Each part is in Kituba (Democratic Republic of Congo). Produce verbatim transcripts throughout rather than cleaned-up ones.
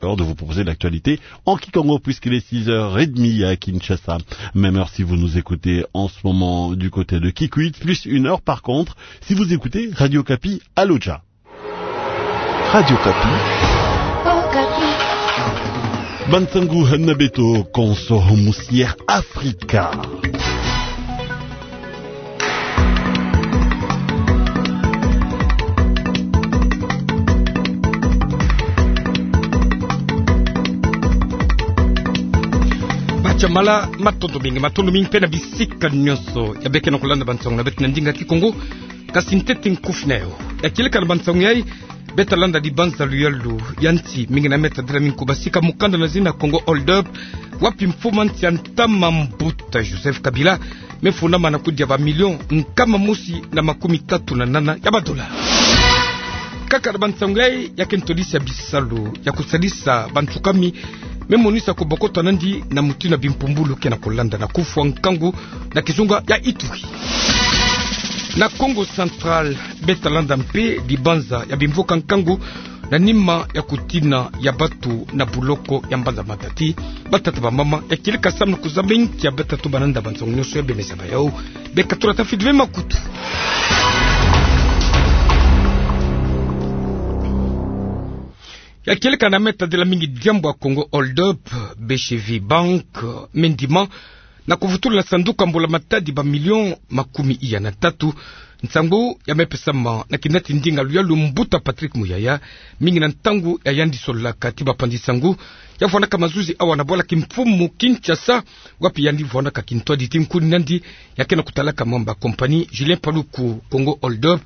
Alors de vous proposer l'actualité en kikongo, puisqu'il est six heures et demie à Kinshasa. Même heure si vous nous écoutez en ce moment du côté de Kikwit, plus une heure par contre si vous écoutez Radio Okapi à Lodja. Radio Okapi. Ba nsangu na beto konso musi Air Africa. Bacha mala, matondo mingi, matondo mingi mpe na bisika nyonso ya beke na kolanda ba nsangu na beto na ndinga kikongo. Kasi ntete nkufi na yo. Ya kieleka na ba nsangu yai, beta landa dibanza luyalu ya nsi, mingi na meta dela mingi kubasika mukanda na zina Congo Hold Up, wapi mfumu a nsi ya ntama Mbuta Joseph Kabila me funda mana kudia ba million nkama mosi na makumi tatu na nana ya ba dollars. Kaka na ba nsangu yai, ya ke ntwadisi ya bisalu ya kusalisa bantu kami me monisa kubokota nandi na mutindu na bimpumbulu ke na kolanda na kufwa nkangu na kizunga ya Ituri. Na Kongo Central, beta landa mpe dibanza ya bimvuka nkangu na nima ya kutina ya batu na buloko ya mbanza Matadi. Batata bamama, ya kieleka samu na kuzaba inki ya beta tuba na nda ba nsangu nyonso ya bemeza ba yau. Beka tula tafidi ve makutu. Ya kieleka na meta dela mingi diambu ya Congo Hold Up, B C V Bank me ndima na kuvutula na sanduku ya mbula matadi ba million makumi iya na tatu. Nsangu ya me pesama na kinati ndinga luyalu Mbuta Patrick Muyaya, mingi na ntangu ya yandi sololaka ti bapanzi nsangu ya vwandaka mazuzi awa na bwala kimfumu Kinshasa, wapi yandi vwandaka kintwadi ti nkuni nandi ya ke na kutalaka mamba compagnie Julien Paluku. Congo Hold Up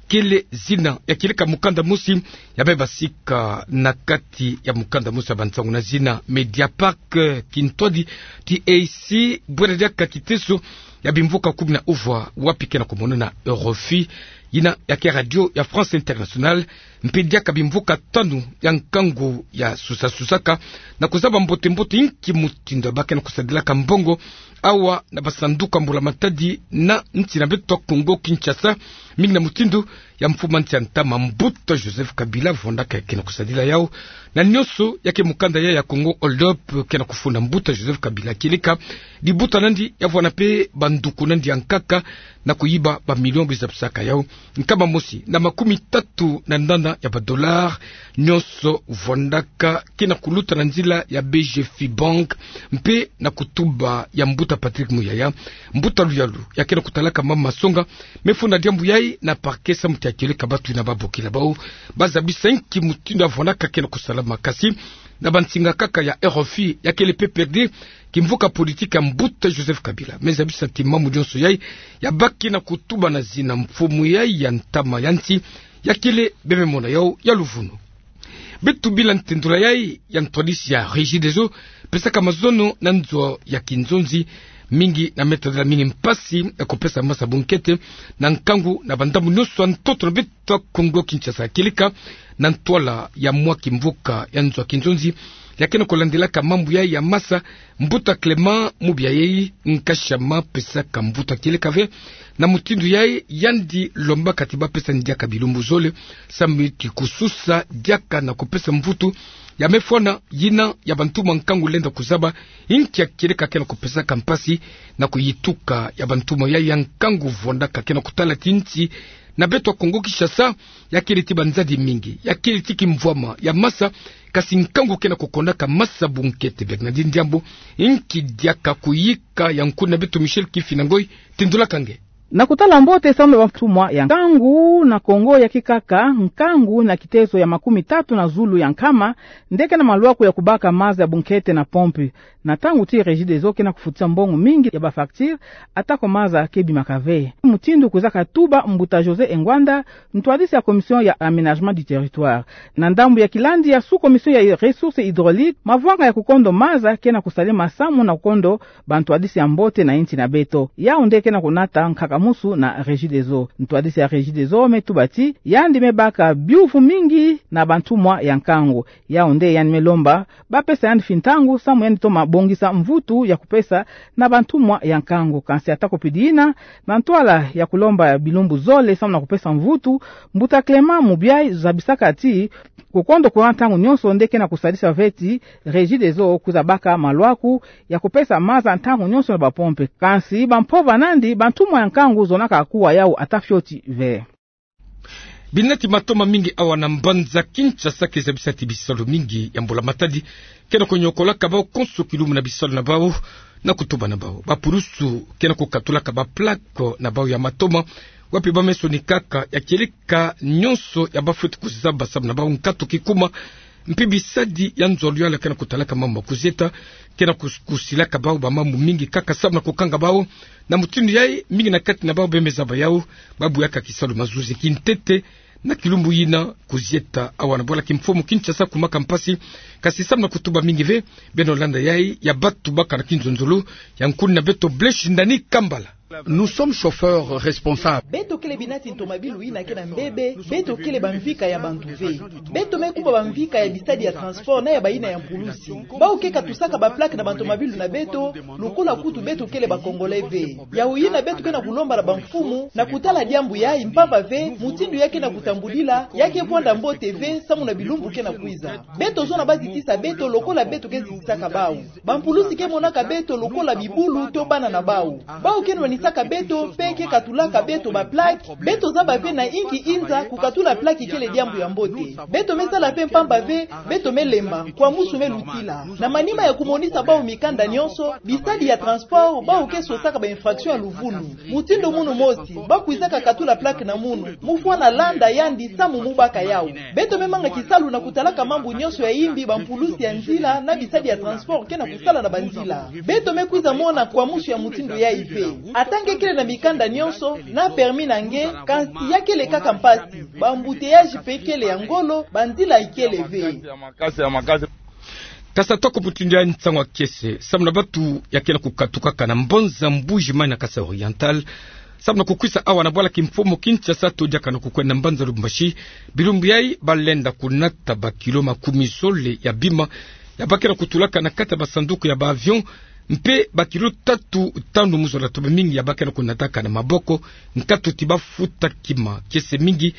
kele zina. Ya kieleka mukanda mosi ya me basika na kati ya mukanda mosi ya ba nsangu na zina Mediapack, kintwadi ti esi bwela diaka kiteso ya bimvuka kumi na uvwa, wapi ke na kumonana Eurofi, yina ya ke Radio ya France Internationale, mpe diaka bimvuka tanu ya nkangu ya susa-susaka na kuzaba mbote-mbote inki mutindu ba ke na kusadilaka mbongo awa na ba sanduku ya mbula matadi na nsi na beto Congo Kinshasa, mingi na mutindu ya mfumu a nsi ya ntama Mbuta Joseph Kabila vwandaka ya ke na kusadila yau, na nyonso ya ke mukanda ya ya Congo Hold Up ke na kufunda Mbuta Joseph Kabila. Kieleka dibuta nandi ya vwanda mpe banduku nandi ya nkaka na kuyiba ba million, bizabisaka yau nkama mosi na makumi tatu na nana ya ba dollars, nyonso vwandaka ke na kuluta na nzila ya B G F Bank mpe na kutuba ya Mbuta Patrick Muyaya, mbuta luyalu ya ke na kutalaka mama masonga me funda diambu yai na parquet samu ti ya kieleka batu yina ba bokila bau, ba zabisa inki mutindu ya vwandaka ke na kusalama. Kasi na ba nsinga kaka ya Eurofi, ya kele P P R D, kimvuka politique ya Mbuta Joseph Kabila, me zabisa ti mambu nyonso yai ya ba ke na kutuba na zina mfumu yai ya ntama ya nsi, ya kele bebe mona yau ya luvunu. Beto bila ntendula yai ya ntwadisi ya Regideso pesaka mazono na nzo ya kinzonzi, mingi na meta dela mingi mpasi ya kupesa masa bunkete na nkangu na ba ndambu nyonso ya ntoto na beto Congo Kinshasa. Kieleka na ntwala ya mwa kimvuka ya nzo ya kinzonzi ya ke na kulandilaka mambu yai ya masa, Mbuta Clément Mubiayi Nkashama pesaka mvutu. Kieleka ve na mutindu yai yandi lombaka ti ba pesa ndia ka bilumbu zole samu ti kususa diaka na kupesa mvutu ya me fwana yina ya bantuma nkangu lenda kuzaba inki ya kieleka ke na kupesaka mpasi na kuyituka ya bantuma yai ya nkangu vwandaka ke na kutala ti nsi na beto Congo Kinshasa ya kele ti banzadi mingi, ya kele ti kimvwama ya masa, kasi nkangu ke na kukondaka masa bunkete. Bernardine Diambu, inki diaka kuyika ya nkuni na beto Michel Kifina Ngoy tendulaka nge? Na kutala mbote samu na bantumwa ya nkangu na Congo ya kikaka, nkangu na kiteso ya makumi tatu na zulu ya nkama nde ke na malwaku ya kubaka maza ya bunkete na pompe. Na ntangu ti Regideso ke na kufutisa mbongo mingi ya ba facture, atako maza ke bimaka ve. Mutindu kwizaka tuba Mbuta José Engwanda, ntwadisi ya Commission ya Aménagement du Territoire. Na ndambu ya kilandi ya sous-commission ya Ressources hydrauliques, mavwanga ya kukondo maza ke na kusalema samu na kukondo bantwadisi ya mbote na insi na beto. Yau nde ke na kunata nkaka musu na Regideso. Ntwadisi ya Regideso me tuba ti yandi me baka biuvu mingi na bantumwa ya nkangu. Yau nde yandi me lomba bapesa yandi mfi ntangu samu yandi toma bongisa mvutu ya kupesa na bantumwa ya nkangu. Kansi atako pidi yina, na ntwala ya kulomba bilumbu zole samu na kupesa mvutu, mbuta Clément Mubiayi zabisaka ti kukondo courant ntangu nyonso nde ke na kusadisa ve ti Regideso kwiza baka malwaku ya kupesa maza ntangu nyonso na bapompe. Kansi bampova nandi bantumwa ya nkangu zonaka kuwa yau ata fioti ve. Binati matoma mingi awa na mbanza Kinshasa ke zabisa ti bisalu mingi ya mbula-matadi ke na kunyokolaka bawu konso kilumbu na bisalu na bawu na kutuba na bawu. Bapulusu ke na kukatulaka baplaque na bawu ya matoma, wapi ba me sonikaka ya kieleka nyonso ya ba fweti kuzaba samu na bawu nkatu kikuma. Mpe bisadi ya nzololo ya ke na kutalaka mambu ma kuzieta ke na kus-, kusilaka bawu bamambu mingi kaka samu na kukanga bawu. Na mutindu yayi, mingi na kati na bawu be me zaba yau, ba buyaka kisalu mazuzi. Kintete, na kilumbu yina, kuzieta awa na bwala kimfumu Kinshasa kumaka mpasi. Kansi samu na kutuba mingi ve, beno landa yayi ya batu baka na kinzonzolo, ya nkuni na beto Blaise Ndani Kambala. Nous sommes chauffeurs responsables. Beto kele binati ntomabilu yina ke na mbebe, beto kele bamvika ya bantu ve. Beto me kuma bamvika ya bisadi ya transport na ya bayina ya mpulusi. Bawu ke katusaka baplaque na bantomabilu na beto, lokola kutu beto kele ba Congolais ve. Yau yina beto ke na kulomba na bamfumu na kutala diambu yayi, mpamba ve mutindu ya ke na kutambulila ya ke vwanda mbote ve samu na bilumbu ke na kwiza. Beto zona ba zitisa beto lokola beto ke zitisaka bawu. Bampulusi ke monaka beto lokola bibulu to bana na bawu. Bawu ke nwanisaka beto mpe ke katulaka beto baplaque. Beto zaba ve na inki inza kukatula plaque kele diambu ya mbote. Beto me sala ve mpamba ve beto me lemba, kwa musu me lutila. Na manima ya kumonisa bawu mikanda nyonso, bisadi ya transport, bawu ke sosaka ba infraction ya luvunu. Mutindu munu mosi, ba kwizaka katula plaque na munu, mu fwana landa yandi samu mu baka yau. Beto me manga kisalu na kutalaka mambu nyonso ya yimbi bampulusi ya nzila na bisadi ya transport ke na kusala na banzila. Beto me kwiza mona kwa musu ya mutindu yayi ve. Ata nge kele na mikanda nyonso, na permis na nge, kansi ya kele kaka mpasi. Ba embouteillage mpe kele ya ngolo, banzila ikele ve. Kansi atako mutindu yayi, nsangu ya kiese samu na batu ya ke na kukatukaka na mbanza Mbuji-Mayi na Kasai Oriental samu na kukwisa awa na bwala kimfumu Kinshasa to diaka na kukwenda mbanza Lubumbashi. Bilumbu yayi ba lenda kunata bakilo makumi zole ya bima ya ba ke na kutulaka na kati ya basanduku ya ba avion, mpe bakilo tatu, tanu mu zola tobe mingi ya ba ke na kunataka na maboko, nkatu ti ba futa kima kiese mingi.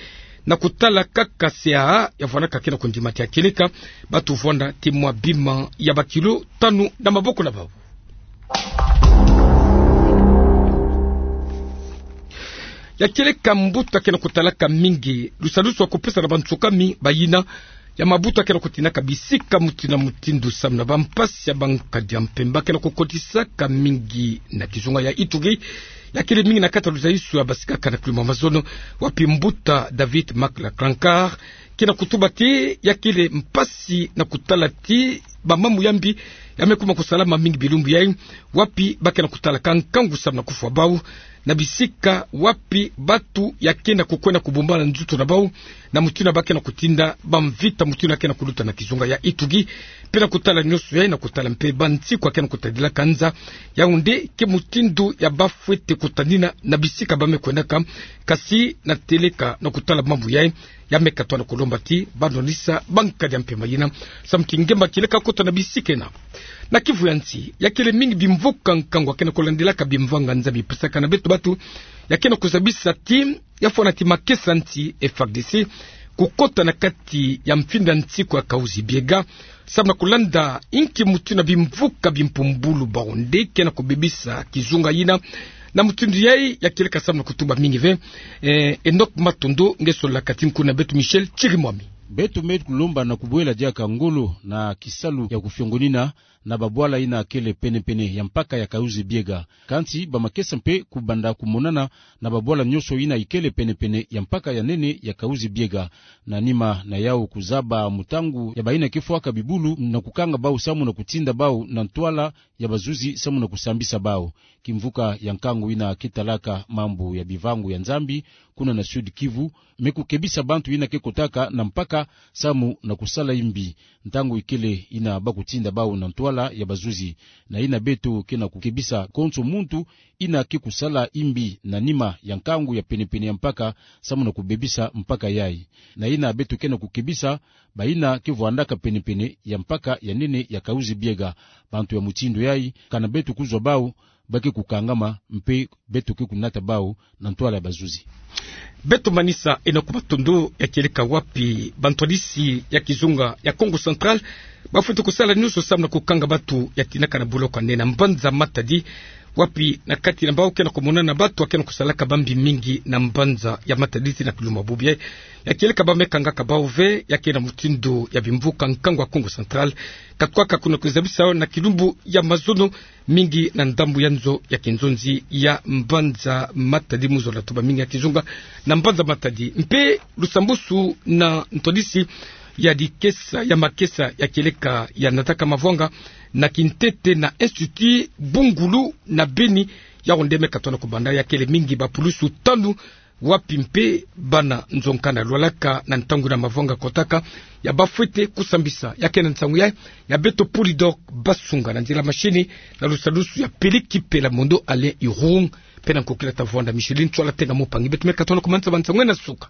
Na kutala kaka C A A ya vwanaka ke na kundima ti ya kieleka, ba tuvwanda ti mwa bima ya bakilo tanu na maboko na bawu. Ya kieleka mbuta ke na kutalaka mingi lusadusu ya kupesa na bansukami bayina ya mabuta ke na kutindaka bisika mutindu na mutindu samu na bampasi ya bankadi ya mpemba ke na kukotisaka mingi na kizunga ya Ituri. Ya kele mingi na kati ya luzaisu ya basikaka na kilumbu ya mazono, wapi mbuta David Maklaklankar ke na kutuba ti ya kele mpasi na kutala ti bamambu ya mbi ya me kuma kusalama mingi bilumbu yayi, wapi ba ke na kutalaka nkangu samu na kufwa bawu na bisika wapi batu ya ke na kukwenda kubumbana nzutu na bawu, na mutindu ya ba ke na kutinda bamvita mutindu ya ke na kuluta na kizunga ya Ituri. Mpe na kutala nyonso yayi, na kutala mpe bansiku ya ke na kutadilaka nza, yau nde ke mutindu ya ba fwete kutadina na bisika ba me kwendaka. Kansi na teleka na kutala mambu yayi, ya me katwa na kulomba ti ba nwanisa bankadi ya mpemba yina samu ti ngemba kieleka kota na bisika ena. Na Kivu ya nsi, ya kele mingi bimvuka nkangu ya ke na kulandilaka bimvanga nza bipesaka na beto batu ya ke na kuzabisa ti ya fwana ti makesa nsi F A R D C kukota na kati ya mfinda nsiku ya Kahuzi-Biega samu na kulanda inki mutindu na bimvuka bimpumbulu bawu nde ke na kubebisa kizunga yina. Na mutindu yayi, ya kieleka samu na kutuba mingi ve. Eh, Enoch Matondo nge sololaka ti nkuna beto Michel Chirimwami. Beto me kulomba na kubwela diaka ngolo na kisalu ya kufiongonina na babwala yina kele pene-pene ya mpaka ya Kahuzi-Biega. Kansi bamakesa mpe kubanda kumonana na babwala nyonso yina ikele pene-pene ya mpaka ya nene ya Kahuzi-Biega, na nima na yau kuzaba mutangu ya bayina ke fwaka bibulu na kukanga bawu samu na kutinda bawu na ntwala ya bazuzi samu na kusambisa bawu. Kimvuka ya nkangu yina ke talaka mambu ya bivangu ya Nzambi kuna na Sud-Kivu me kukebisa bantu yina ke kotaka na mpaka samu na kusala imbi ntangu ikele ina bakutinda bau na ntwala ya bazuzi. Na ina beto ke na kukebisa konso muntu ina ke kusala imbi na nima ya nkangu ya penepene ya mpaka, samu na kubebisa mpaka yai. Na ina beto ke na kukebisa baina ke vwandaka penepene ya mpaka ya nene ya Kahuzi-Biega. Bantu ya mutindu yai, kana beto kuzwa bau, ba ke kukangama, mpe beto ke kunata bau na ntwala ya bazuzi. Beto manisa ina ku matondo ya kieleka wapi bantwadisi ya kizunga ya Kongo Central bafwete kusala nyonso samu na kukanga batu ya tinaka na boloko ya nene na mbanza Matadi, wapi na kati na bau ke na kumonana batu ya ke na kusalaka bambi mingi na mbanza ya Matadi ti na kilumbu ya bobo. Ya kieleka ba me kangaka bau ve ya ke na mutindu ya bimvuka nkangu ya Kongo Central, katukaka kuna kuzabisa na kilumbu ya mazono mingi na ndambu ya nzo ya kinzonzi ya mbanza Matadi, mu zola tuba mingi ya kizunga na mbanza Matadi. Mpe lusambusu na ntwadisi ya dikesa ya makesa ya kieleka ya nataka mavwanga na kintete na Institut Bungulu na Beni, yau nde me katona kubanda ya kele mingi bapulusu tanu, wapi mpe bana nzonka na lwalaka na ntangu na mavwanga kotaka, ya bafwete kusambisa ya ke na nsangu ya, ya beto Polydor Basunga na nzila machine na lusalusu ya Peleki Pelamondo Alain Irung, mpe na nkokila Tavwanda Micheline Tswala Tenga Mupangi. Beto me katona kumanisa bansangu na suka.